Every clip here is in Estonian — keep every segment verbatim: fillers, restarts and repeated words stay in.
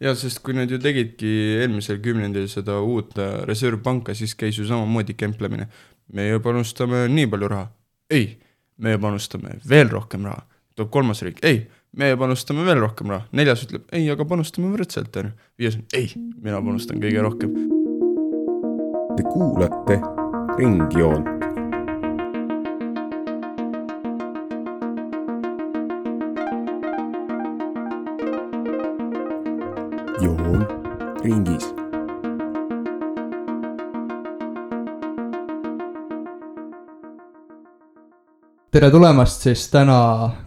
Ja, sest kui nad ju tegidki eelmisel kümnendil seda uut reservpanka, siis käis ju samamoodi kemplemine. Meie panustame nii palju raha. Ei, meie panustame veel rohkem raha. Toob kolmas riik. Ei, meie panustame veel rohkem raha. Neljas ütleb, ei, aga panustame võrdselt. Viies, ei, mina panustan kõige rohkem. Te kuulate Ringjoont. Joon ringis. Tere tulemast siis täna,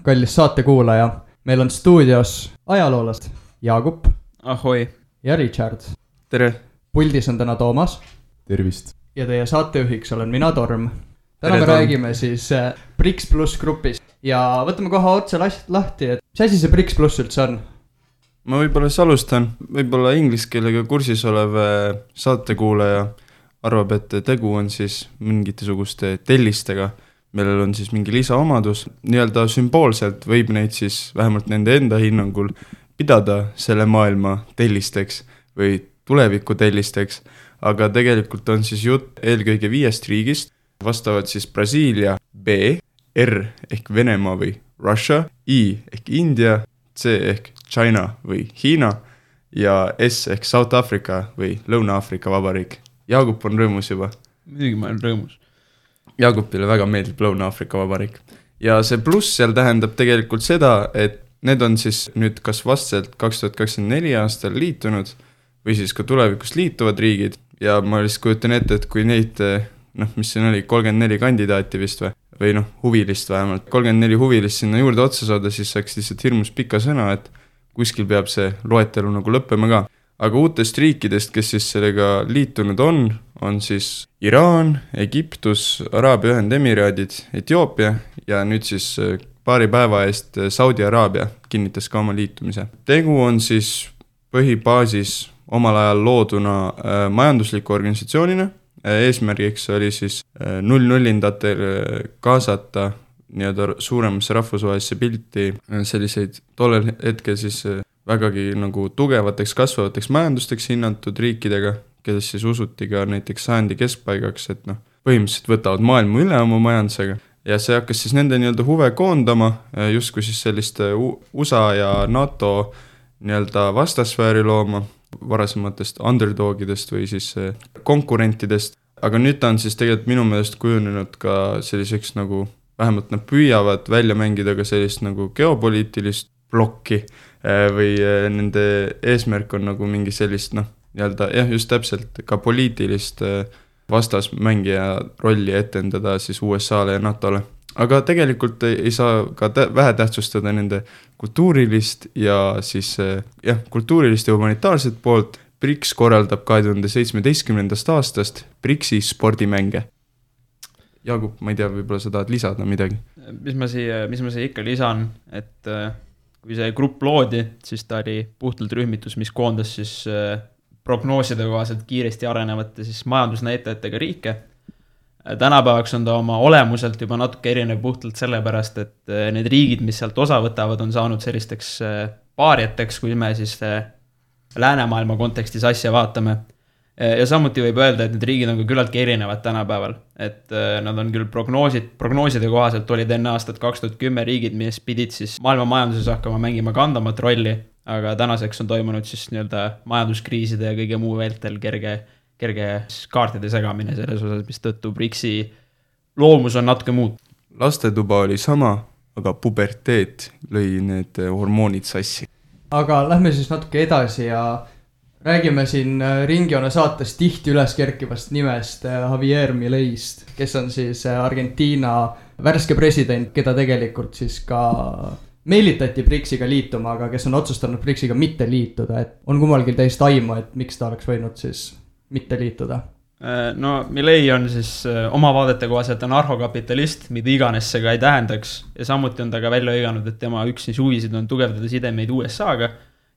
kallis saatekuulaja. Meil on stuudios ajaloolast Jaagup. Ahoi. Ja Richard. Tere. Puldis on täna Toomas. Tervist. Ja teie saatejuhiks olen mina, Torm. Täna Tere, me Torm. räägime siis Brix Plus grupis. Ja võtame kohe otse lahti, et mis asi see Brix Plus üldse on? Ma võib-olla alustan, võib-olla inglise keelega kursis olev saatekuulaja arvab, et tegu on siis mingisuguste tellistega, millel on siis mingi lisaomadus. Nii-öelda sümboolselt võib neid siis vähemalt nende enda hinnangul pidada selle maailma tellisteks või tuleviku tellisteks, aga tegelikult on siis jutt eelkõige viiest riigist, vastavad siis Brasiilia, B, R ehk Venemaa või Russia, I ehk India, C ehk China või Hiina ja S ehk South Africa või Lõuna-Afrika vabariik. Jaagup on rõõmus juba. Muidugi ma olen rõõmus. Jaagupile väga meeldib Lõuna-Afrika vabariik. Ja see pluss seal tähendab tegelikult seda, et need on siis nüüd kas vastselt kaks tuhat kakskümmend neli aastal liitunud või siis ka tulevikus liituvad riigid. Ja ma lihtsalt kujutan ette, et kui neid, noh, mis siin oli, kolmkümmend neli kandidaati vist või? või noh, huvilist vähemalt. kolmkümmend neli huvilist sinna juurde otsa saada, siis saaks lihtsalt hirmus pika sõna, et kuskil peab see loetelu nagu lõppema ka. Aga uutest riikidest, kes siis sellega liitunud on, on siis Iraan, Egiptus, Araabia Ühendemiraadid, Etioopia ja nüüd siis paari päeva eest Saudi Araabia kinnitas ka oma liitumise. Tegu on siis põhibaasis omal ajal looduna äh, majandusliku organisatsioonina. Eesmärgiks oli siis null-nullindatel kaasata nii-öelda suuremasse rahvusvahelisse pilti selliseid tollel hetkel siis vägagi nagu tugevateks kasvavateks majandusteks hinnatud riikidega, kelles siis usuti ka näiteks sajandi keskpaigaks, et noh, põhimõtteliselt võtavad maailma üle oma majandusega. Ja see hakkas siis nende nii-öelda huve koondama, justkui siis sellist U S A ja NATO nii-öelda vastasfääri looma, varasematest underdogidest või siis konkurentidest, aga nüüd ta on siis tegelikult minu meelest kujunenud ka selliseks nagu, vähemalt nad püüavad välja mängida ka sellist nagu geopoliitilist blokki või nende eesmärk on nagu mingi sellist, noh, nii-öelda jah, just täpselt ka poliitilist vastasmängija rolli etendada siis U S A-le ja NATO-le. Aga tegelikult ei saa ka vähe tähtsustada nende kultuurilist ja siis jah, kultuurilist ja humanitaarset poolt. Brix korraldab kahe tuhande seitsmeteistkümnendast aastast Brixi spordimänge. Jaagup, ma ei tea, võib-olla sa tahad lisada midagi? Mis ma siia, mis ma siia ikka lisan, et kui see grupp loodi, siis ta oli puhtalt rühmitus, mis koondas siis prognooside kohaselt kiiresti arenevate siis majandusnäitajatega riike. Tänapäevaks on ta oma olemuselt juba natuke erinev puhtalt sellepärast, et need riigid, mis sealt osa võtavad, on saanud sellisteks paariateks, kui me siis läänemaailma kontekstis asja vaatame. Ja samuti võib öelda, et need riigid on ka küllaltki erinevad tänapäeval. Et nad on küll prognoosid, prognooside kohaselt olid enne aastat kaks tuhat kümme riigid, mis pidid siis maailma majanduses hakkama mängima kandamat rolli, aga tänaseks on toimunud siis nii-öelda majanduskriiside ja kõige muu vältel kerge kerge kaartide segamine selles osas, mis tõttu Brixi loomus on natuke muud. Lastetuba oli sama, aga puberteet lõi need hormoonid sassi. Aga lähme siis natuke edasi ja räägime siin Ringjoone saates tihti üles kerkivast nimest Javier Mileist, kes on siis Argentiina värske president, keda tegelikult siis ka meelitati Brixiga liituma, aga kes on otsustanud Brixiga mitte liituda. Et on kummalgi täist aimu, et miks ta oleks võinud siis mitte liituda? No Milei on siis oma vaadete kohaselt anarhokapitalist, mida iganes see ka ei tähendaks. Ja samuti on ta ka välja õiganud, et tema üks siis huvisid on tugevdada sidemeid U S A-ga.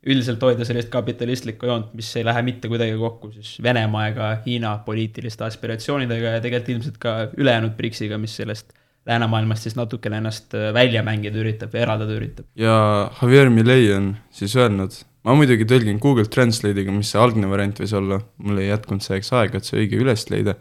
Üldiselt hoida sellist kapitalistlikku joont, mis ei lähe mitte kuidagi kokku siis Venemaa ega Hiina poliitiliste aspiratsioonidega ja tegelikult ilmselt ka ülejäänud Brixiga, mis sellest läänemaailmast siis natukene ennast välja mängida üritab ja eraldada üritab. Ja Javier Milei on siis öelnud, ma muidugi tõlgin Google Translate'iga, mis see algne variant võis olla, mul ei jätkunud selleks aega, et see õige üles leida,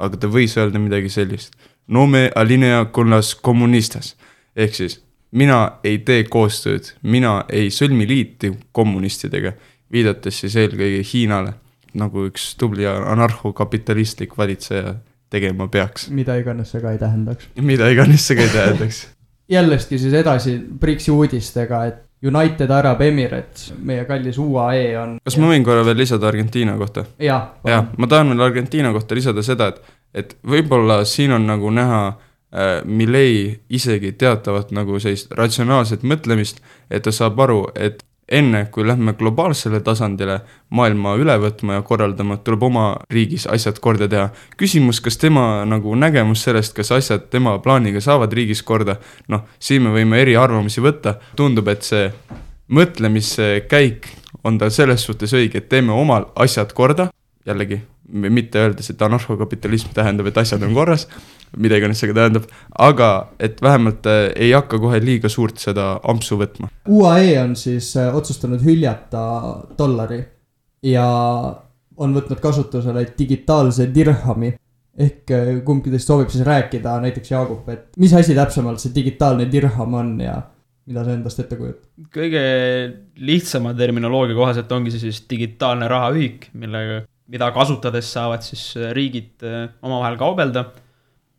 aga ta võis öelda midagi sellist. No me alinea con las comunistas. Ehk siis, mina ei tee koostööd, mina ei sõlmi liiti kommunistidega, viidates siis eelkõige Hiinale, nagu üks tubli anarhokapitalistlik valitseja tegema peaks. Mida iganes see ka ei tähendaks. Mida iganes see ka ei tähendaks. Jällestki siis edasi Brixi uudistega, et United Arab Emirates, meie kallis U A E on... Kas ma võin korra veel lisada Argentiina kohta? Ja, ja, ma tahan veel Argentiina kohta lisada seda, et, et võib-olla siin on nagu näha äh, Milei isegi teatavat nagu sellist ratsionaalset mõtlemist, et ta saab aru, et enne kui lähme globaalsele tasandile maailma üle võtma ja korraldama, tuleb oma riigis asjad korda teha. Küsimus, kas tema nagu nägemus sellest, kas asjad tema plaaniga saavad riigis korda, noh, siin me võime eri arvamusi võtta. Tundub, et see mõtlemiskäik on tal selles suhtes õige, et teeme omal asjad korda, jällegi, mitte öeldes, et anarhokapitalism tähendab, et asjad on korras, mida iganes see tähendab, aga et vähemalt ei hakka kohe liiga suurt seda ampsu võtma. U A E on siis otsustanud hüljata dollari ja on võtnud kasutusele digitaalse dirhami, ehk kumbki teist soovib siis rääkida, näiteks Jaagup, et mis asi täpsemalt see digitaalne dirham on ja mida see endast ette kujut? Kõige lihtsama terminoloogia kohaselt ongi see siis digitaalne rahaühik, millega, mida kasutades saavad siis riigid omavahel kaubelda.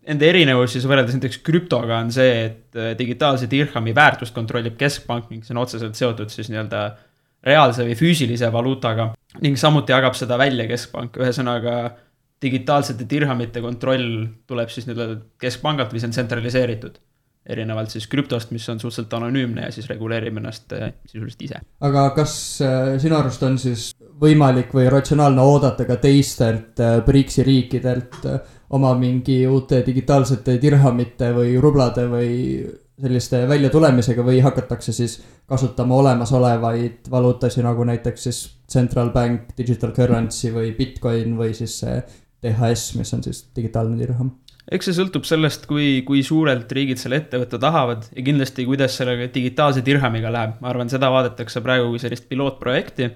Ende erinevus siis võrreldes näiteks krüptoga on see, et digitaalse dirhami väärtust kontrollib keskpank ning see on otseselt seotud siis nii-öelda reaalse või füüsilise valuutaga ning samuti jagab seda välja keskpank. Ühesõnaga digitaalsete dirhamite kontroll tuleb siis nii-öelda keskpangalt või see on tsentraliseeritud. Erinevalt siis krüptost, mis on suhteliselt anonüümne ja siis reguleerib ennast sisuliselt ise. Aga kas sinu arust on siis võimalik või ratsionaalne oodata ka teistelt Brixi riikidelt oma mingi uute digitaalsete dirhamite või rublade või selliste välja tulemisega või hakatakse siis kasutama olemasolevaid valuutasi nagu näiteks siis Central Bank, Digital Currency või Bitcoin või siis D H S, mis on siis digitaalne dirham? Eks see sõltub sellest, kui, kui suurelt riigid selle ettevõtte tahavad ja kindlasti, kuidas sellega digitaalse dirhamiga läheb. Ma arvan, seda vaadatakse praegu kui sellist pilootprojekti.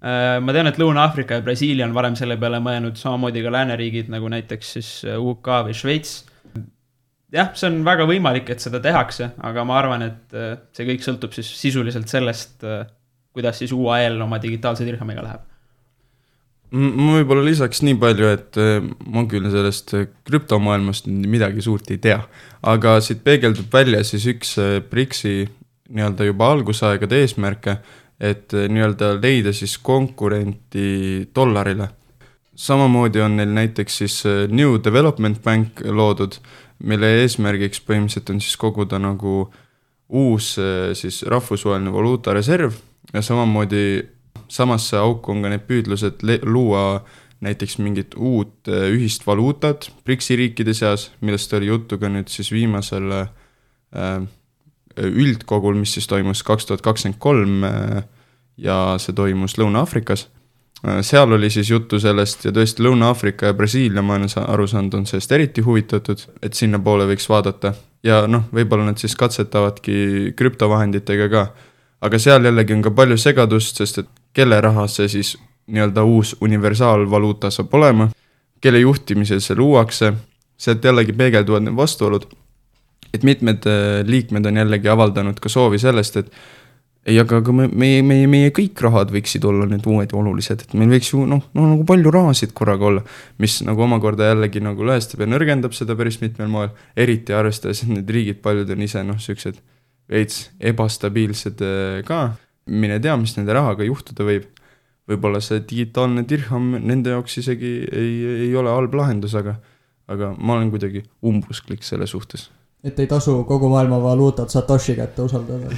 Ma tean, et Lõuna-Afrika ja Brasiilia on varem selle peale mõelnud samamoodi ka lääneriigid, nagu näiteks siis U K või Šveits. Jah, see on väga võimalik, et seda tehakse, aga ma arvan, et see kõik sõltub siis sisuliselt sellest, kuidas siis U A E-l oma digitaalse dirhamiga läheb. Ma võib-olla lisaks nii palju, et ma küll sellest krüptomaailmast midagi suurt ei tea, aga siit peegeldub välja siis üks Brixi nii-öelda juba algusaegade eesmärke, et nii-öelda leida siis konkurenti dollarile. Samamoodi on neil näiteks siis New Development Bank loodud, mille eesmärgiks põhimõtteliselt on siis koguda nagu uus siis rahvusvaheline valuutareserv ja samamoodi samasse auku on ka need püüdlused luua näiteks mingit uut ühist valuutat Brixi riikide seas, millest oli juttu ka nüüd siis viimasel üldkogul, mis siis toimus kaks tuhat kakskümmend kolm ja see toimus Lõuna-Afrikas. Seal oli siis juttu sellest ja tõesti Lõuna-Afrika ja Brasiilia, ma olen aru saanud, on sellest eriti huvitatud, et sinna poole võiks vaadata. Ja noh, võib-olla nad siis katsetavadki krüptovahenditega ka. Aga seal jällegi on ka palju segadust, sest et kelle raha see siis nii-öelda uus universaalvaluuta saab olema, kelle juhtimisel see luuakse, sealt jällegi peegelduvad need vastuolud, et mitmed liikmed on jällegi avaldanud ka soovi sellest, et ei, aga meie, meie, meie, meie kõik rahad võiksid olla need uued olulised, et meil võiks ju noh, no, nagu palju rahasid korraga olla, mis nagu omakorda jällegi nagu lõhestab ja nõrgendab seda päris mitmel moel, eriti arvestades, et need riigid paljud on ise noh, süksed veits ebastabiilsed ka, mine tea, mis nende rahaga juhtuda võib. Võib-olla see digitaalne dirham nende jaoks isegi ei, ei ole halb lahendus, aga, aga ma olen kuidagi umbusklik selle suhtes. Et ei tasu kogu maailma valuutat Satoshi kätte usaldada.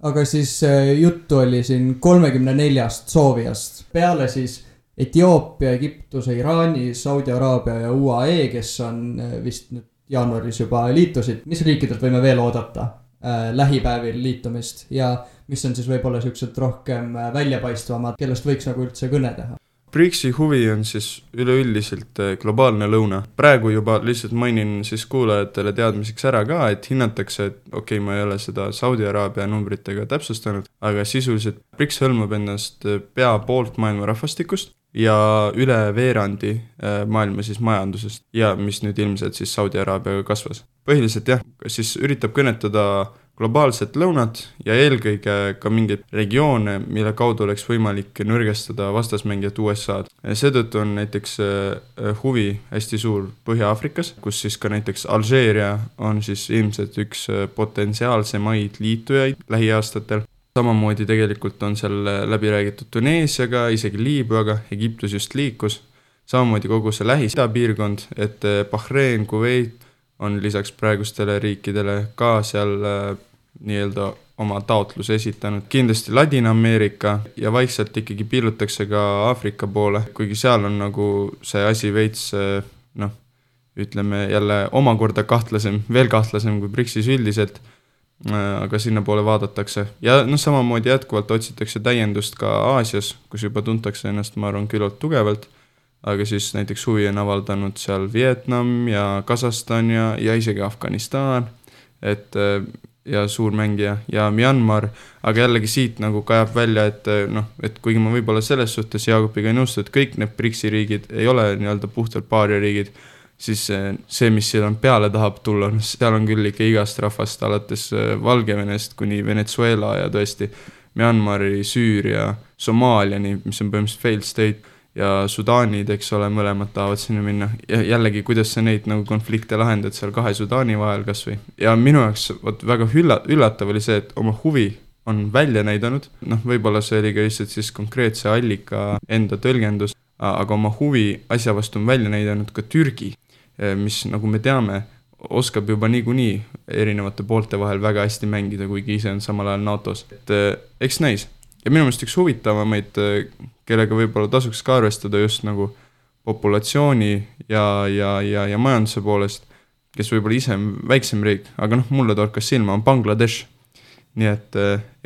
Aga siis juttu oli siin kolmekümne neljast soovijast. Peale siis Etioopia, Egiptuse, Iraani, Saudi Araabia ja U A E, kes on vist nüüd jaanuaris juba liitusid. Mis riikidelt võime veel oodata äh, lähipäevil liitumist ja mis on siis võib-olla siuksed rohkem väljapaistvamad, kellest võiks nagu üldse kõne teha? BRICS-i huvi on siis üleüldiselt globaalne lõuna. Praegu juba lihtsalt mainin siis kuulajatele teadmiseks ära ka, et hinnatakse, et okei okay,, ma ei ole seda Saudi Araabia numbritega täpsustanud, aga sisuliselt BRICS hõlmab ennast pea poolt maailma rahvastikust ja üle veerandi maailma siis majandusest ja mis nüüd ilmselt siis Saudi Araabiaga kasvas. Põhiliselt jah, siis üritab kõnetada globaalset lõunat ja eelkõige ka mingeid regioone, mille kaudu oleks võimalik nõrgestada vastasmängijat U S A-d. Seetõttu on näiteks huvi hästi suur Põhja-Aafrikas, kus siis ka näiteks Alžeeria on siis ilmselt üks potentsiaalsemaid liitujaid lähiaastatel. Samamoodi tegelikult on seal läbi räägitud Tuneesiaga, isegi Liibüaga, Egiptus just liikus. Samamoodi kogu see Lähis-Ida piirkond, et Bahrein, Kuveit on lisaks praegustele riikidele ka seal äh, nii-öelda oma taotluse esitanud. Kindlasti Ladina-Ameerika ja vaikselt ikkagi piilutakse ka Aafrika poole, kuigi seal on nagu see asi veits, äh, noh, ütleme jälle omakorda kahtlasem, veel kahtlasem kui BRICS-is üldiselt, äh, aga sinna poole vaadatakse. Ja noh, samamoodi jätkuvalt otsitakse täiendust ka Aasias, kus juba tuntakse ennast, ma arvan, küllalt tugevalt. Aga siis näiteks huvi on avaldanud seal Vietnam ja Kasahstan ja, ja isegi Afganistan, et ja suurmängija ja Myanmar, aga jällegi siit nagu kajab välja, et noh, et kuigi ma võib-olla selles suhtes Jaagupiga ei nõustu, et kõik need BRICS-i riigid ei ole nii-öelda puhtalt paaria riigid, siis see, mis seal on peale tahab tulla, seal on küll ikka igast rahvast, alates Valgevenest kuni Venezuela ja tõesti Myanmari, Süüria, Somaaliani, mis on põhimõtteliselt failed state, ja Sudaanid, eks ole, mõlemad tahavad sinna minna. Ja jällegi, kuidas sa neid nagu konflikte lahendad seal kahe Sudaani vahel kas või. Ja minu jaoks võt, väga üllatav oli see, et oma huvi on välja näidanud. Noh, võib-olla see oli ka lihtsalt siis konkreetse allika enda tõlgendus, aga oma huvi asja vastu on välja näidanud ka Türgi, mis, nagu me teame, oskab juba niikuinii erinevate poolte vahel väga hästi mängida, kuigi ise on samal ajal NATOs. Et eks näis. Ja minu meelest üks huvitavamaid, kellega võib-olla tasuks ka arvestada just nagu populatsiooni ja, ja, ja, ja majanduse poolest, kes võib-olla ise on väiksem riik, aga noh, mulle torkas silma, on Bangladesh. Nii et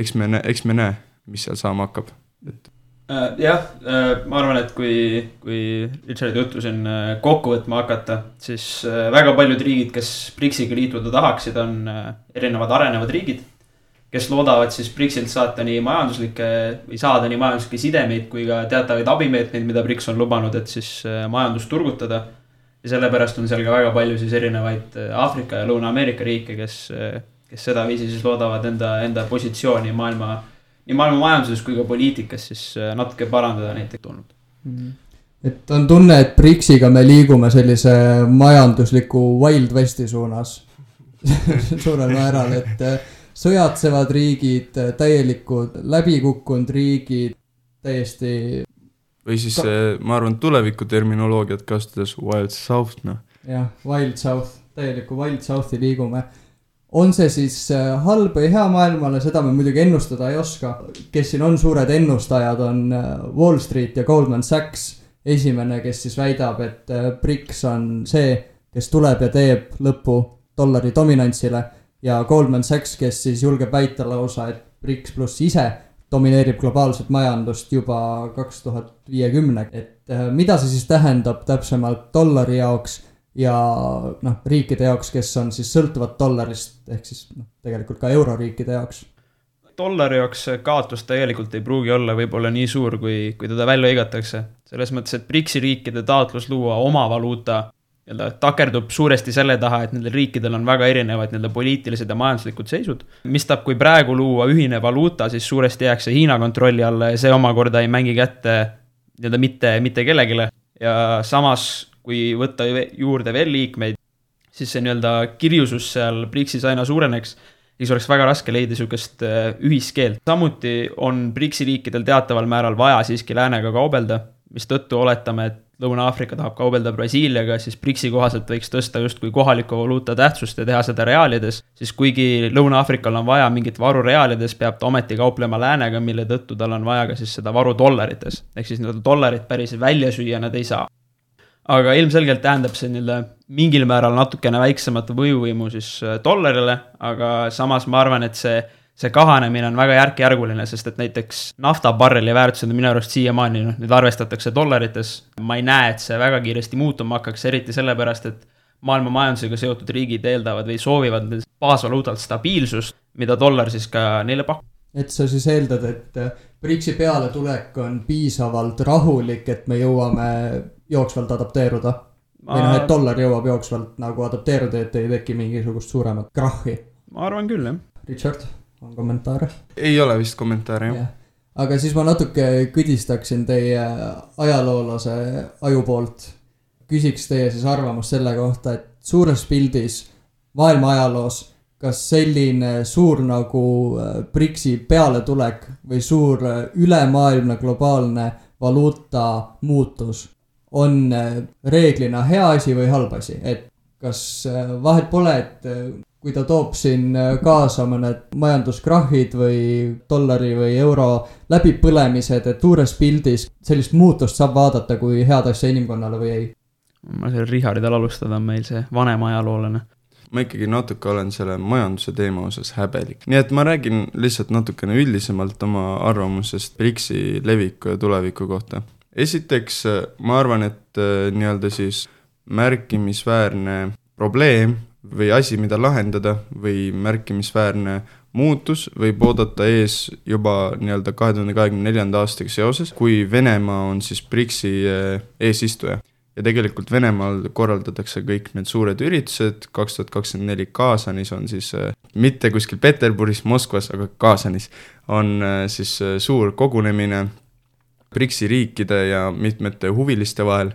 eks me, eks me näe, mis seal saama hakkab. Et... Uh, jah, uh, ma arvan, et kui, kui Richard juttu siin uh, kokku võtma hakata, siis uh, väga paljud riigid, kes BRICS-iga liituda tahaksid, on uh, erinevad arenevad riigid, kes loodavad siis BRICS-ilt saata nii majanduslikke või saada nii majanduslikke sidemeid kui ka teatavaid abimeetmeid, mida BRICS on lubanud, et siis majandust turgutada. Ja sellepärast on seal ka väga palju siis erinevaid Aafrika ja Lõuna-Ameerika riike, kes, kes seda viisi siis loodavad enda, enda positsiooni maailma, nii maailma majanduses kui ka poliitikas siis natuke parandada näiteks tulnud. Et on tunne, et BRICS-iga me liigume sellise majandusliku Wild Westi suunas suurel määral, et sõjatsevad riigid, täielikud läbikukkunud riigid, täiesti... Või siis ka... ma arvan, tuleviku terminoloogiat kasutades Wild South, noh. Jah, Wild South, täieliku Wild Southi liigume. On see siis halb või hea maailmale, seda me muidugi ennustada ei oska. Kes siin on suured ennustajad, on Wall Street ja Goldman Sachs. Esimene, kes siis väidab, et BRICS on see, kes tuleb ja teeb lõppu dollari dominantsile. Ja Goldman Sachs, kes siis julgeb väita lausa, et BRICS pluss ise domineerib globaalset majandust juba kaks tuhat viiskümmend. Et mida see siis tähendab täpsemalt dollari jaoks ja noh, riikide jaoks, kes on siis sõltuvad dollarist, ehk siis noh, tegelikult ka euroriikide jaoks? Dollari jaoks kaotus tegelikult ei pruugi olla võib-olla nii suur, kui, kui teda välja igatakse. Selles mõttes, et BRICS-i riikide taotlus luua oma valuuta takerdub suuresti selle taha, et nendel riikidel on väga erinevad nende poliitilised ja majanduslikud seisud. Mis tab, kui praegu luua ühine valuuta, siis suuresti jääks see Hiina kontrolli alla ja see omakorda ei mängi kätte mitte, mitte kellegile. Ja samas, kui võtta juurde veel liikmeid, siis see nii-öelda kirjusus seal BRICS-is aina suureneks, siis oleks väga raske leida niisugust ühiskeelt. Samuti on BRICS-i riikidel teataval määral vaja siiski läänega kaubelda, mis tõttu oletame, et Lõuna-Aafrika tahab kaubelda Brasiiliaga, siis BRICS-i kohaselt võiks tõsta just kui kohaliku valuuta tähtsust ja teha seda reaalides, siis kuigi Lõuna-Aafrikal on vaja mingit varu reaalides, peab ta ometi kauplema läänega, mille tõttu tal on vaja ka siis seda varu dollarites. Ehk siis nii-öelda dollarit päris välja süüa nad ei saa. Aga ilmselgelt tähendab see nii-öelda mingil määral natukene väiksemat võjuvõimu siis dollarile, aga samas ma arvan, et see see kahanemine on väga järk-järguline, sest et näiteks naftabarreli väärtused on minu arust siiamaani, noh, nüüd arvestatakse dollarites. Ma ei näe, et see väga kiiresti muutuma hakkaks, eriti sellepärast, et maailma majandusega seotud riigid eeldavad või soovivad baasvaluutalt stabiilsust, mida dollar siis ka neile pakub. Et sa siis eeldad, et BRICS-i peale tulek on piisavalt rahulik, et me jõuame jooksvalt adapteeruda? Ma... Või noh, et dollar jõuab jooksvalt nagu adapteeruda, et ei teki mingisugust suuremat krahhi? Ma arvan küll, jah. Richard, on kommentaare? Ei ole vist kommentaare, jah. Aga siis ma natuke kõdistaksin teie ajaloolase aju poolt. Küsiks teie siis arvamust selle kohta, et suures pildis maailma ajaloos, kas selline suur nagu BRICS-i pealetulek või suur ülemaailmne globaalne valuuta muutus on reeglina hea asi või halb asi? Et kas vahet pole, et kui ta toob siin kaasa mõned majanduskrahhid või dollari või euro läbipõlemised, et suures pildis sellist muutust saab vaadata kui head asja inimkonnale või ei? Ma selle Richardil alustada on meil see vanem ajaloolane. Ma ikkagi natuke olen selle majanduse teema osas häbelik. Nii et ma räägin lihtsalt natukene üldisemalt oma arvamusest BRICS-i leviku ja tuleviku kohta. Esiteks, ma arvan, et nii-öelda siis märkimisväärne probleem või asi, mida lahendada või märkimisväärne muutus võib oodata ees juba nii-öelda kahe tuhande kahekümne neljanda aastaga seoses, kui Venemaa on siis BRICS-i eesistuja. Ja tegelikult Venemaal korraldatakse kõik need suured üritused, kaks tuhat kakskümmend neli Kaasanis on siis, mitte kuskil Peterburis, Moskvas, aga Kaasanis on siis suur kogunemine BRICS-i riikide ja mitmete huviliste vahel,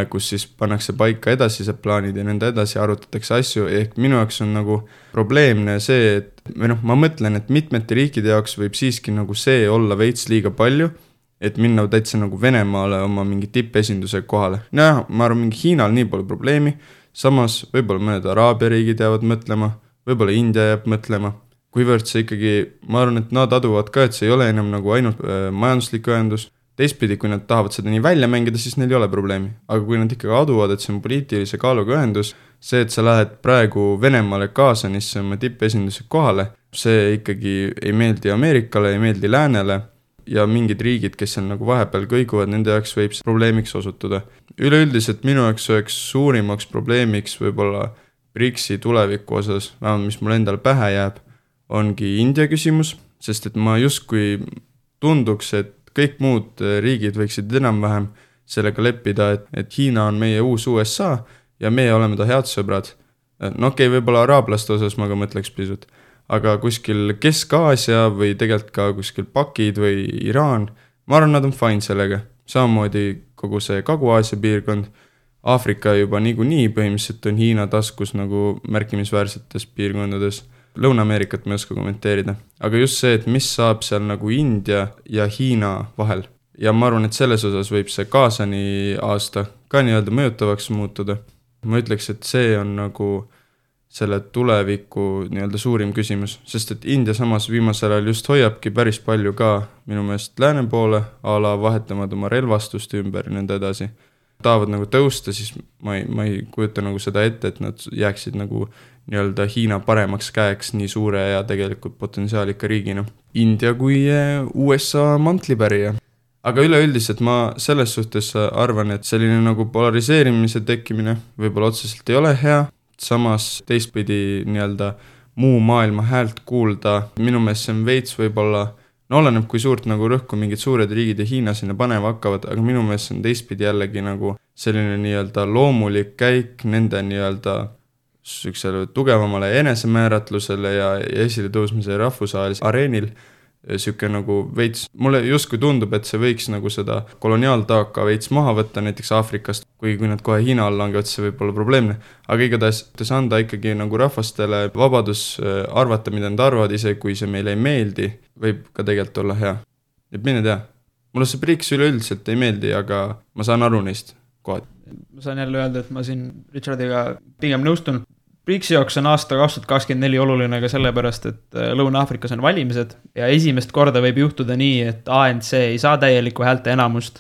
kus siis pannakse paika edasised plaanid ja nende edasi arutatakse asju, ehk minu jaoks on nagu probleemne see, et või noh, ma mõtlen, et mitmete riikide jaoks võib siiski nagu see olla veits liiga palju, et minna täitsa nagu Venemaale oma mingi tippesinduse kohale. Noh, ma arvan, mingi Hiinal nii pole probleemi, samas võib-olla mõned Araabia riigid jäävad mõtlema, võib-olla India jääb mõtlema, kuivõrd see ikkagi, ma arvan, et nad aduvad ka, et see ei ole enam nagu ainult äh, majanduslik ühendus. Teistpidi, kui nad tahavad seda nii välja mängida, siis neil ei ole probleemi. Aga kui nad ikkagi aduvad, et see on poliitilise kaaluga ühendus, see, et sa lähed praegu Venemaale Kaasanisse oma tippesinduse kohale, see ikkagi ei meeldi Ameerikale, ei meeldi läänele ja mingid riigid, kes seal nagu vahepeal kõiguvad, nende jaoks võib see probleemiks osutuda. Üleüldiselt minu jaoks oleks suurimaks probleemiks võib-olla BRICS-i tuleviku osas, vähemalt mis mul endal pähe jääb, ongi India küsimus, sest et ma justkui tunduks, et kõik muud riigid võiksid enam-vähem sellega leppida, et, et Hiina on meie uus U S A ja meie oleme ta head sõbrad. No okei, okay, võib-olla araablaste osas ma ka mõtleks pisut, aga kuskil Kesk-Aasia või tegelikult ka kuskil Pakid või Iraan, ma arvan, nad on fine sellega. Samamoodi kogu see Kagu-Aasia piirkond, Aafrika juba niikuinii põhimõtteliselt on Hiina taskus nagu märkimisväärsetes piirkondades. Lõuna-Ameerikat ma ei oska kommenteerida, aga just see, et mis saab seal nagu India ja Hiina vahel. Ja ma arvan, et selles osas võib see Kaasani aasta ka nii-öelda mõjutavaks muutuda. Ma ütleks, et see on nagu selle tuleviku nii-öelda suurim küsimus, sest et India samas viimasel ajal just hoiabki päris palju ka minu meelest lääne poole, a la vahetamad oma relvastust ümber ja nende edasi. Tahavad nagu tõusta, siis ma ei, ma ei kujuta nagu seda ette, et nad jääksid nagu nii-öelda Hiina paremaks käeks nii suure ja tegelikult potentsiaalika riigina. India kui U S A mantlipärija. Aga üleüldiselt ma selles suhtes arvan, et selline nagu polariseerimise tekkimine võib-olla otseselt ei ole hea, samas teistpidi nii-öelda muu maailma häält kuulda, minu meelest see on veits võib-olla, no oleneb kui suurt nagu rõhku mingid suured riigid ja Hiina sinna panema hakkavad, aga minu meelest see on teistpidi jällegi nagu selline nii-öelda loomulik käik nende nii-öelda süksele tugevamale enesemääratlusele ja esile tõusmise rahvusvahelisel areenil. Süke nagu veits, mulle justkui tundub, et see võiks nagu seda koloniaaltaaka veits maha võtta näiteks Aafrikast, kui, kui nad kohe Hiina all langevad, see võib olla probleemne. Aga igatahes anda ikkagi nagu rahvastele vabadus arvata, mida nad arvavad, ise kui see meile ei meeldi, võib ka tegelikult olla hea. Et mine tea, mulle see BRICS üleüldiselt ei meeldi, aga ma saan aru neist kohad. Ma saan jälle öelda, et ma siin Richardiga pigem nõustun. BRICS-i jaoks on aasta kaks tuhat kakskümmend neli oluline ka sellepärast, et Lõuna-Aafrikas on valimised ja esimest korda võib juhtuda nii, et A N C ei saa täielikku häälte enamust.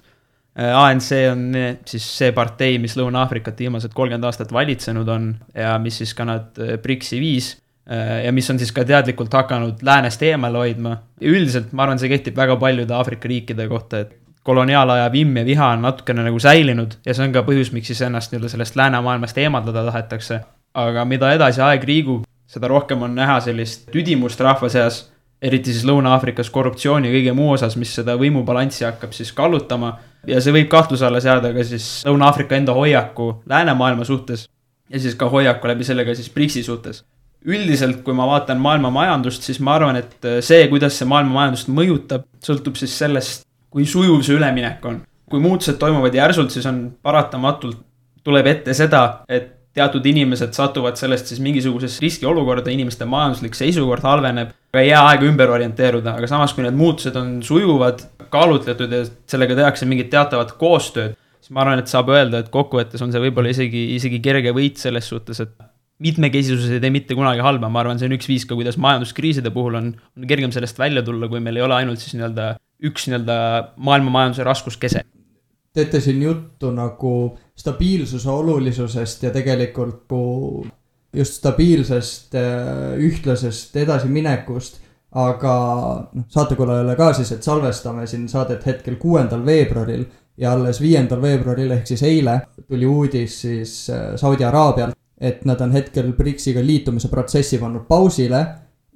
A N C on siis see partei, mis Lõuna-Aafrikat viimased kolmkümmend aastat valitsenud on ja mis siis ka nad BRICS-i viis. ja mis on siis ka teadlikult hakanud läänest eemale hoidma. Ja üldiselt ma arvan, see kehtib väga paljude Aafrika riikide kohta, et koloniaalaja vimm ja viha on natukene nagu säilinud ja see on ka põhjus, miks siis ennast nii-öelda sellest läänemaailmast eemaldada tahetakse. Aga mida edasi aeg liigub, seda rohkem on näha sellist tüdimust rahva seas, eriti siis Lõuna-Aafrikas korruptsiooni ja kõige muu osas, mis seda võimubalanssi hakkab siis kallutama. Ja see võib kahtluse alla seada ka siis Lõuna-Aafrika enda hoiaku läänemaailma suhtes ja siis ka hoiaku läbi sellega siis BRICS-i suhtes. Üldiselt, kui ma vaatan maailma majandust, siis ma arvan, et see, kuidas see maailma majandust mõjutab, sõltub siis sellest, kui sujuv see üleminek on. Kui muutused toimuvad järsult, siis on paratamatult tuleb ette seda, et teatud inimesed satuvad sellest siis mingisugusesse riskiolukorda, inimeste majanduslik seisukord halveneb, aga ei jää aega ümber orienteeruda, aga samas kui need muutused on sujuvad, kaalutletud ja sellega tehakse mingit teatavat koostööd, siis ma arvan, et saab öelda, et kokkuvõttes on see võib-olla isegi, isegi kerge võit selles suhtes, et mitmekesisus ei tee mitte kunagi halba, ma arvan, see on üks viis ka, kuidas majanduskriiside puhul on, on kergem sellest välja tulla, kui meil ei ole ainult siis nii-öelda üks nii-öelda maailma majanduse raskuskese. Teete siin juttu nagu stabiilsuse olulisusest ja tegelikult just stabiilsest ühtlasest edasiminekust, aga saatekulajale ka siis, et salvestame siin saadet hetkel kuuendal veebruaril ja alles viiendal veebruaril ehk siis eile tuli uudis siis Saudi Araabialt, et nad on hetkel BRICS-iga liitumise protsessi pannud pausile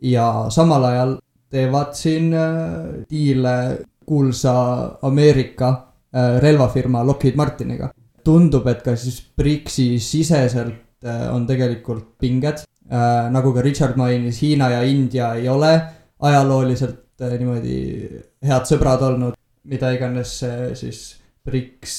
ja samal ajal teevad siin diile kuulsa Ameerika relvafirma Lockheed Martiniga. Tundub, et ka siis BRICS-i siseselt on tegelikult pinged, nagu ka Richard mainis, Hiina ja India ei ole ajalooliselt niimoodi head sõbrad olnud, mida iganes siis BRICS,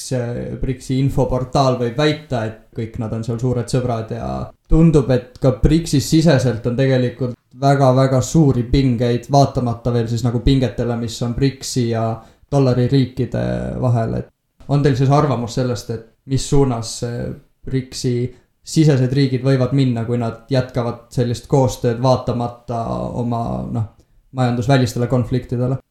BRICS-i infoportaal võib väita, et kõik nad on seal suured sõbrad ja tundub, et ka BRICS-i siseselt on tegelikult väga-väga suuri pingeid, vaatamata veel siis nagu pingetele, mis on BRICS-i ja dollari riikide vahel, et on teil siis arvamus sellest, et mis suunas BRICS-i sisesed riigid võivad minna, kui nad jätkavad sellist koostööd vaatamata oma noh, majandusvälistele konfliktidele?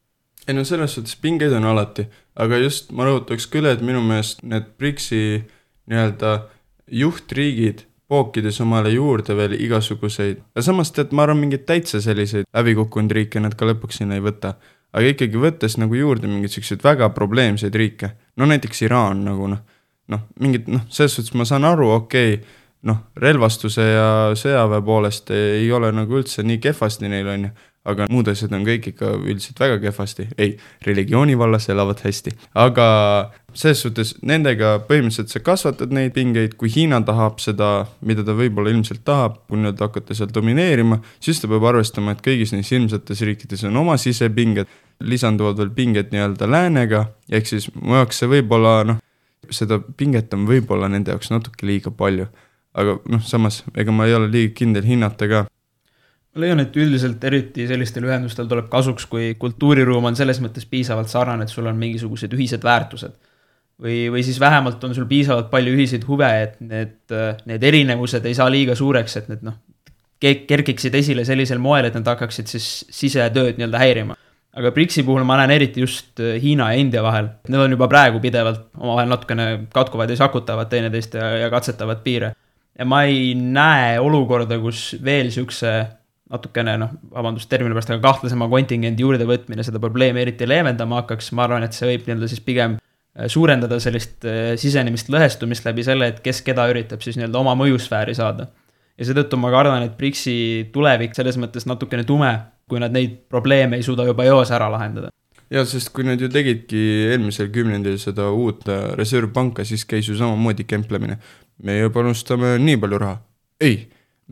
Ei no selles suhtes pingeid on alati, aga just ma rõhutaks küll, et minu meelest need BRICS-i nii-öelda juhtriigid pookides omale juurde veel igasuguseid, ja samas tead, ma arvan mingid täitsa selliseid läbikukkunud riike nad ka lõpuks sinna ei võta, aga ikkagi võttes nagu juurde mingid sellised väga probleemseid riike, no näiteks Iraan nagu noh, noh, mingid, noh, selles suhtes ma saan aru, okei, okay, noh, relvastuse ja sõjaväe poolest ei ole nagu üldse nii kehvasti neil on ju, aga muud asjad on kõik ikka üldiselt väga kehvasti. Ei, religiooni vallas elavad hästi. Aga selles suhtes nendega põhimõtteliselt sa kasvatad neid pingeid, kui Hiina tahab seda, mida ta võib-olla ilmselt tahab, kui nüüd hakata seal domineerima, siis ta peab arvestama, et kõigis neis ilmsetes riikides on oma sisepinged, lisanduvad veel pinged nii-öelda läänega, ehk siis mu jaoks see võib-olla, noh, seda pinget on võib-olla nende jaoks natuke liiga palju. Aga noh, samas, ega ma ei ole liiga kindel hinnata ka. Ma leian, et üldiselt eriti sellistel ühendustel tuleb kasuks, kui kultuuriruum on selles mõttes piisavalt sarnane, et sul on mingisugused ühised väärtused. Või, või siis vähemalt on sul piisavalt palju ühiseid huve, et need, need erinevused ei saa liiga suureks, et need noh, kerkiksid esile sellisel moel, et nad hakkaksid siis sisetööd nii-öelda häirima. Aga BRICS-i puhul ma näen eriti just Hiina ja India vahel. Need on juba praegu pidevalt omavahel natukene katkuvad ja sakutavad teineteist ja, ja katsetavad piire. Ja ma ei näe olukorda, kus veel siukse natukene, noh, vabandust termini pärast, aga kahtlasema kontingendi juurde võtmine seda probleemi eriti leevendama hakkaks. Ma arvan, et see võib nii-öelda siis pigem suurendada sellist sisenemist lõhestumist läbi selle, et kes keda üritab siis nii-öelda oma mõjusfääri saada. Ja seetõttu ma kardan, et BRICS-i tulevik selles mõttes natukene tume, kui nad neid probleeme ei suuda juba eos ära lahendada. Ja, sest kui nad ju tegidki eelmisel kümnendil seda uut reservpanka, siis käis ju samamoodi kemplemine. Meie panustame nii palju raha. Ei,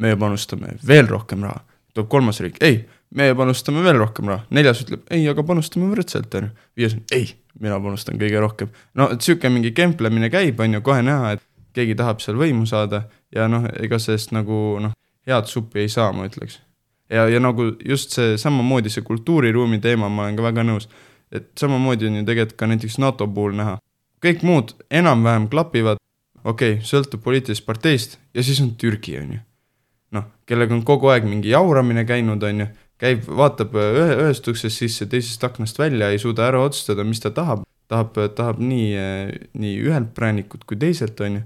meie panustame veel rohkem raha. Toob kolmas riik, ei, meie panustame veel rohkem raha. Neljas ütleb, ei, aga panustame võrdselt. Viies on, ei, mina panustan kõige rohkem. No, et süüke mingi kemplemine käib, on ju kohe näha, et keegi tahab seal võimu saada ja noh, ega sellest nagu noh, head suppi ei saa, ma ütleks. Ja, ja nagu just see samamoodi see kultuuriruumi teema, ma olen ka väga nõus, et samamoodi on ju tegelikult ka näiteks NATO puhul näha. Kõik muud enam-vähem klapivad, okei, okay, sõltub poliitilisest parteist ja siis on Türgi, on ju. Noh, kellega on kogu aeg mingi jauramine käinud, on ju, käib, vaatab ühe, ühest uksest sisse, teisest aknast välja, ei suuda ära otsustada, mis ta tahab. Tahab, tahab nii, nii ühelt präänikut kui teiselt, on ju.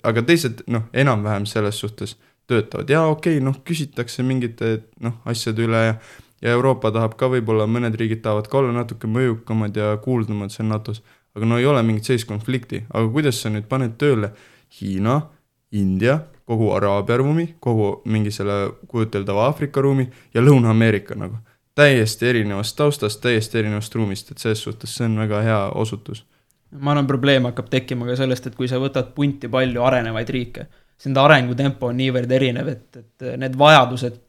Aga teised, noh, enam-vähem selles suhtes töötavad ja okei okay,, noh küsitakse mingite noh asjade üle ja ja Euroopa tahab ka võib-olla, mõned riigid tahavad ka olla natuke mõjukamad ja kuuldumad seal NATO-s, aga no ei ole mingit sellist konflikti, aga kuidas sa nüüd paned tööle Hiina, India, kogu Araabia ruumi, kogu mingi selle kujuteldava Aafrika ruumi ja Lõuna-Ameerika nagu. Täiesti erinevast taustast, täiesti erinevast ruumist, et selles suhtes see on väga hea osutus. Ma arvan, probleem hakkab tekkima ka sellest, et kui sa võtad punti palju arenevaid riike, siis nende arengutempo on niivõrd erinev, et, et need vajadused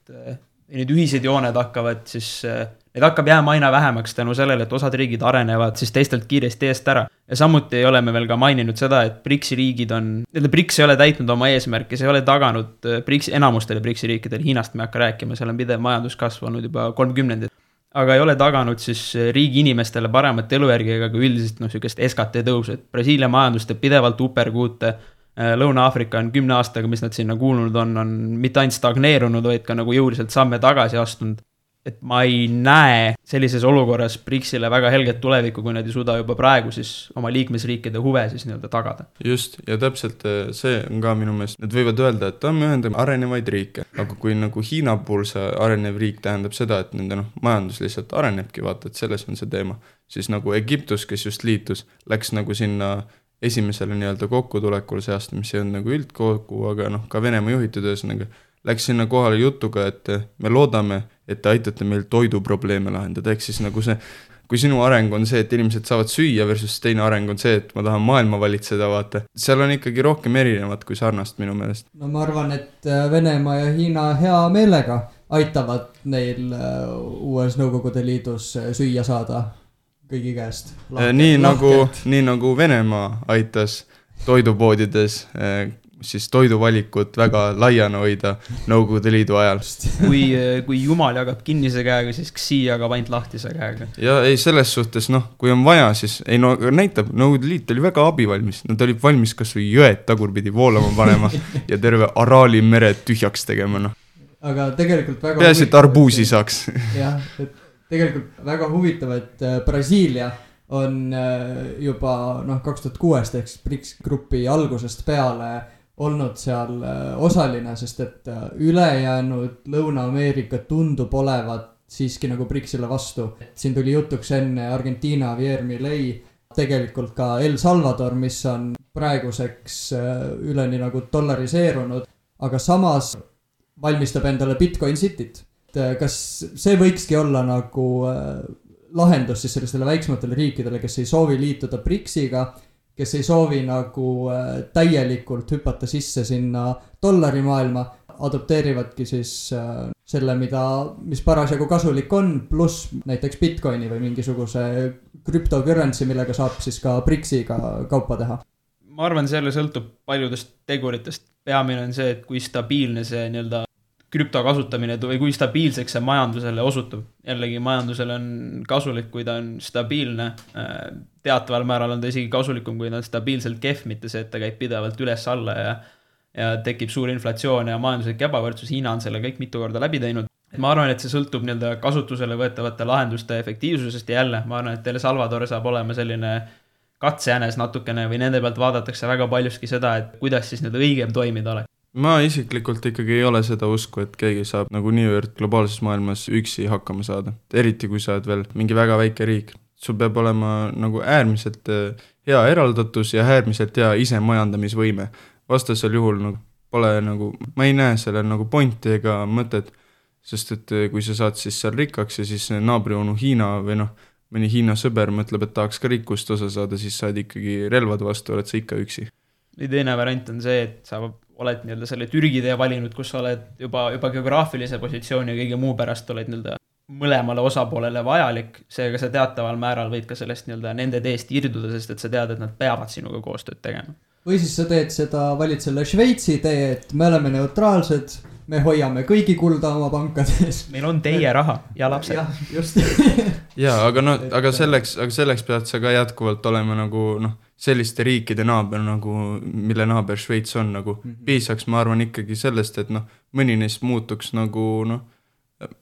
ja need ühised jooned hakkavad siis, need hakkab jääma aina vähemaks tänu sellele, et osad riigid arenevad siis teistelt kiiresti eest ära. Ja samuti ei ole me veel ka maininud seda, et BRICS-i riigid on, need BRICS ei ole täitnud oma eesmärki, see ei ole taganud BRICS, enamustele BRICS-i riikidel, Hiinast me hakka rääkima, seal on pidev majanduskasv olnud juba kolmkümnendid, aga ei ole taganud siis riigi inimestele paremat elujärgi ega ka üldiselt noh, sükest S K T tõus, et Brasiilia majandus teeb pidevalt uperkuute, Lõuna-Aafrika on kümne aastaga, mis nad sinna kuulnud on, on mitte ainult stagneerunud, vaid ka nagu jõuliselt samme tagasi astunud. Et ma ei näe sellises olukorras BRICS-ile väga helget tulevikku, kui nad ei suuda juba praegu siis oma liikmesriikide huve siis nii-öelda tagada. Just, ja täpselt see on ka minu meelest, nad võivad öelda, et me ühendame arenevaid riike, aga kui nagu Hiina puhul see arenev riik tähendab seda, et nende noh, majandus lihtsalt arenebki, vaata, et selles on see teema, siis nagu Egiptus, kes just liitus, läks nagu sinna esimesele nii-öelda kokkutulekul seast, mis ei olnud nagu üldkokku, aga noh, ka Venemaa juhitud ühesõnaga, läks sinna kohale jutuga, et me loodame, et te aitate meil toiduprobleeme lahendada, ehk siis nagu see, kui sinu areng on see, et inimesed saavad süüa versus teine areng on see, et ma tahan maailma valitseda, vaata, seal on ikkagi rohkem erinevat kui sarnast minu meelest. No ma arvan, et Venemaa ja Hiina hea meelega aitavad neil uues Nõukogude Liidus süüa saada kõigi käest. Lahkelt, nii, nagu, nii nagu Venemaa aitas toidupoodides siis toiduvalikut väga laiana hoida Nõukogude Liidu ajal. Kui, kui Jumal jagab kinnise käega, siis Xi jagab ainult lahtise käega. Ja ei, selles suhtes, noh, kui on vaja, siis ei no näitab, Nõukogude Liit oli väga abivalmis. Nad olid valmis kas või jõed tagurpidi voolama panema ja terve Araali mere tühjaks tegema, noh. Aga tegelikult väga peaasi, et arbuusi saaks. Jah, et tegelikult väga huvitav, et Brasiilia on juba noh, kaks tuhat kuus ehk BRICS grupi algusest peale olnud seal osaline, sest et ülejäänud Lõuna-Ameerika tundub olevat siiski nagu BRICSile vastu. Siin tuli jutuks enne Argentina, Javier Milei, tegelikult ka El Salvador, mis on praeguseks üleni nagu dollariseerunud, aga samas valmistab endale Bitcoin Cityt. Kas see võikski olla nagu lahendus siis sellistele väiksematele riikidele, kes ei soovi liituda BRICSiga, kes ei soovi nagu täielikult hüpata sisse sinna dollarimaailma, adopteerivadki siis selle, mida, mis parasjagu kasulik on, pluss näiteks Bitcoini või mingisuguse cryptocurrency, millega saab siis ka BRICSiga kaupa teha. Ma arvan, selle sõltub paljudest teguritest. Peamine on see, et kui stabiilne see nii-öelda krüpto kasutamine või kui stabiilseks see majandusele osutub. Jällegi majandusele on kasulik, kui ta on stabiilne. Teataval määral on ta isegi kasulikum, kui ta on stabiilselt kehv, mitte see, et ta käib pidevalt üles alla ja, ja tekib suur inflatsioon ja majanduslik ebavõrdsus. Hiina on selle kõik mitu korda läbi teinud. Ma arvan, et see sõltub nii-öelda kasutusele võetavate lahenduste efektiivsusest ja jälle, ma arvan, et El Salvador saab olema selline katsejänes natukene või nende pealt vaadatakse väga paljuski seda, et kuidas siis need õigem toimida oleks. Ma isiklikult ikkagi ei ole seda usku, et keegi saab nagu niivõrd globaalses maailmas üksi hakkama saada. Eriti kui sa oled veel mingi väga väike riik. Sul peab olema nagu äärmiselt hea eraldatus ja äärmiselt hea ise majandamisvõime. Vastasel juhul nagu pole nagu, ma ei näe selle nagu pointi ega mõtet, sest et kui sa saad siis seal rikkaks ja siis naabrionu Hiina või noh, mõni Hiina sõber mõtleb, et tahaks ka rikkust osa saada, siis saad ikkagi relvad vastu, oled sa ikka üksi. Ja teine variant on see, et sa oled nii-öelda selle Türgi tee valinud, kus sa oled juba, juba geograafilise positsiooni ja kõige muu pärast oled nii-öelda mõlemale osapoolele vajalik, seega sa teataval määral võid ka sellest nii-öelda nende teest irduda, sest et sa tead, et nad peavad sinuga koostööd tegema. Või siis sa teed seda, valid selle Šveitsi tee, et me oleme neutraalsed, me hoiame kõigi kulda oma pankades. Meil on teie raha ja lapsed. Jah, just. Jaa, aga, no, aga, selleks, aga selleks pead sa ka jätkuvalt olema nagu noh, selliste riikide naaber, nagu, mille naaber Šveits on nagu mm -hmm. piisaks, ma arvan ikkagi sellest, et noh, mõni neist muutuks nagu noh,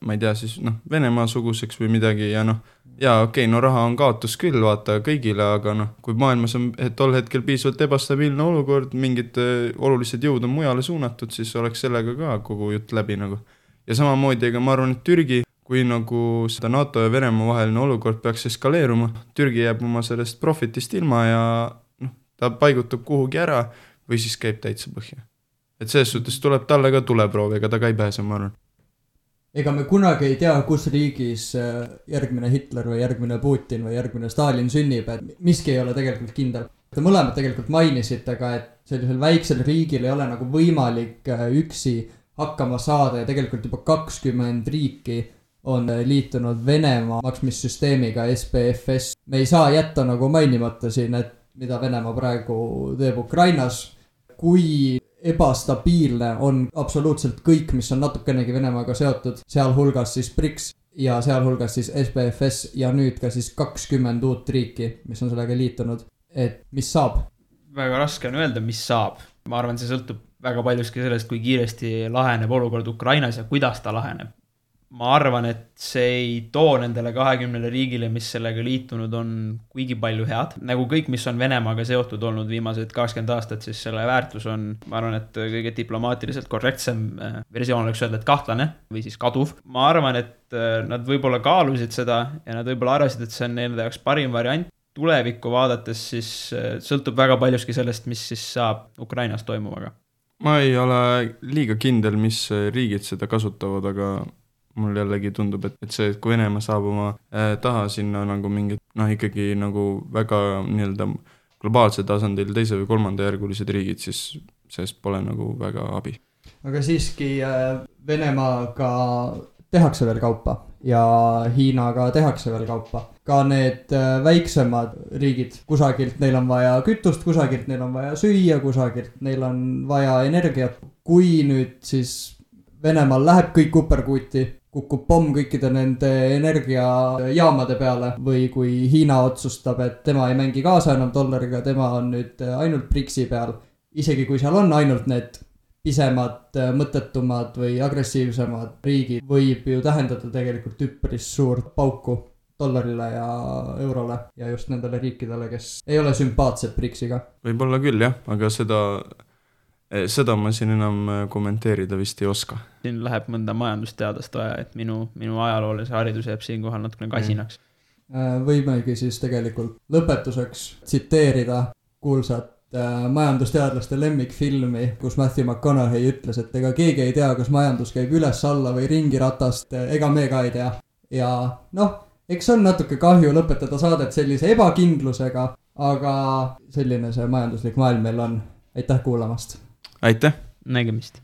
ma ei tea siis noh, Venemaa suguseks või midagi ja noh, jaa okei okay,, no raha on kaotus küll vaata kõigile, aga noh, kui maailmas on et tol hetkel piisavalt ebastabiilne olukord, mingid olulised jõud on mujale suunatud, siis oleks sellega ka kogu jutt läbi nagu. Ja samamoodi, ega ma arvan, et Türgi, kui nagu seda NATO ja Venemaa vaheline olukord peaks eskaleeruma, Türgi jääb oma sellest profitist ilma ja noh, ta paigutub kuhugi ära või siis käib täitsa põhja. Et selles suhtes tuleb talle ka tuleproov, ega ta ka ei pääse, ma arvan. Ega me kunagi ei tea, kus riigis järgmine Hitler või järgmine Putin või järgmine Stalin sünnib, et miski ei ole tegelikult kindel. Te mõlemad tegelikult mainisite ka, et sellisel väiksel riigil ei ole nagu võimalik üksi hakkama saada ja tegelikult juba kakskümmend riiki on liitunud Venemaa maksmissüsteemiga S P F S. Me ei saa jätta nagu mainimata siin, et mida Venemaa praegu teeb Ukrainas, kui ebastabiilne on absoluutselt kõik, mis on natukenegi Venemaaga seotud, sealhulgas siis BRICS ja sealhulgas siis S P F S ja nüüd ka siis kakskümmend uut riiki, mis on sellega liitunud, et mis saab? Väga raske on öelda, mis saab. Ma arvan, see sõltub väga paljuski sellest, kui kiiresti laheneb olukord Ukrainas ja kuidas ta laheneb. Ma arvan, et see ei too nendele kahekümnele riigile, mis sellega liitunud on kuigi palju head. Nagu kõik, mis on Venemaaga seotud olnud viimased kakskümmend aastat, siis selle väärtus on, ma arvan, et kõige diplomaatiliselt korrektsem versioon oleks öelda, et kahtlane või siis kaduv. Ma arvan, et nad võib-olla kaalusid seda ja nad võib-olla arvasid, et see on nende jaoks parim variant. Tulevikku vaadates siis sõltub väga paljuski sellest, mis siis saab Ukrainas toimuvaga. Ma ei ole liiga kindel, mis riigid seda kasutavad, aga mul jällegi tundub, et, et see, et kui Venemaa saab oma äh, taha sinna nagu mingid, noh ikkagi nagu väga nii-öelda globaalse tasandil teise või kolmanda järgulised riigid, siis sellest pole nagu väga abi. Aga siiski äh, Venemaaga tehakse veel kaupa ja Hiinaga tehakse veel kaupa. Ka need äh, väiksemad riigid, kusagilt neil on vaja kütust, kusagilt neil on vaja süüa, kusagilt neil on vaja energiat. Kui nüüd siis Venemaal läheb kõik uperkuuti, kukub pomm kõikide nende energiajaamade peale või kui Hiina otsustab, et tema ei mängi kaasa enam dollariga, tema on nüüd ainult BRICS-i peal. Isegi kui seal on ainult need pisemad, mõttetumad või agressiivsemad riigid, võib ju tähendada tegelikult üpris suurt pauku dollarile ja eurole ja just nendele riikidele, kes ei ole sümpaatsed BRICS-iga. Võib-olla küll jah, aga seda... Seda ma siin enam kommenteerida vist ei oska. Siin läheb mõnda majandusteadast vaja, et minu, minu ajaloolise haridus jääb siin kohal natukene kasinaks. Võimegi siis tegelikult lõpetuseks tsiteerida kuulsat majandusteadlaste lemmikfilmi, kus Matthew McConaughey ütles, et ega keegi ei tea, kas majandus käib üles alla või ringiratast, ega me ka ei tea. Ja noh, eks on natuke kahju lõpetada saadet sellise ebakindlusega, aga selline see majanduslik maailm meil on. Aitäh kuulamast! Aitäh! Nägemist!